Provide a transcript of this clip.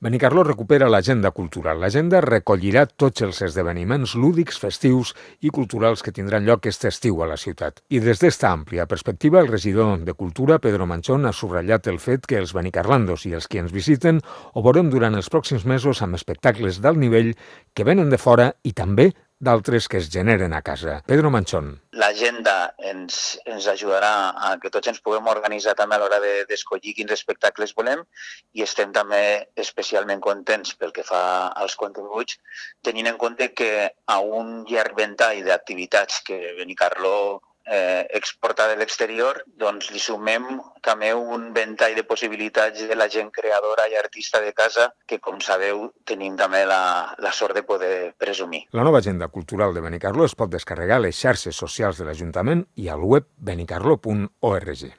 Benicarló recupera l'agenda cultural. L'agenda recollirà tots els esdeveniments lúdics, festius i culturals que tindran lloc aquest estiu a la ciutat. I des d'esta àmplia perspectiva, el regidor de Cultura, Pedro Manchón, ha subratllat el fet que els benicarlandos i els qui ens visiten ho veurem durant els pròxims mesos amb espectacles d'alt nivell que venen de fora i també d'altres que es generen a casa. Pedro Manchón. L'agenda ens ajudarà a que tots ens puguem organitzar també a l'hora d'escollir quins espectacles volem i estem també especialment contents pel que fa als continguts, tenint en compte que a un llarg ventall d'activitats que Benicarló exporta de l'exterior, doncs li sumem també un ventall de possibilitats de la gent creadora i artista de casa que, com sabeu, tenim també la sort de poder presumir. La nova agenda cultural de Benicarló es pot descarregar a les xarxes socials de l'Ajuntament i al web benicarló.org.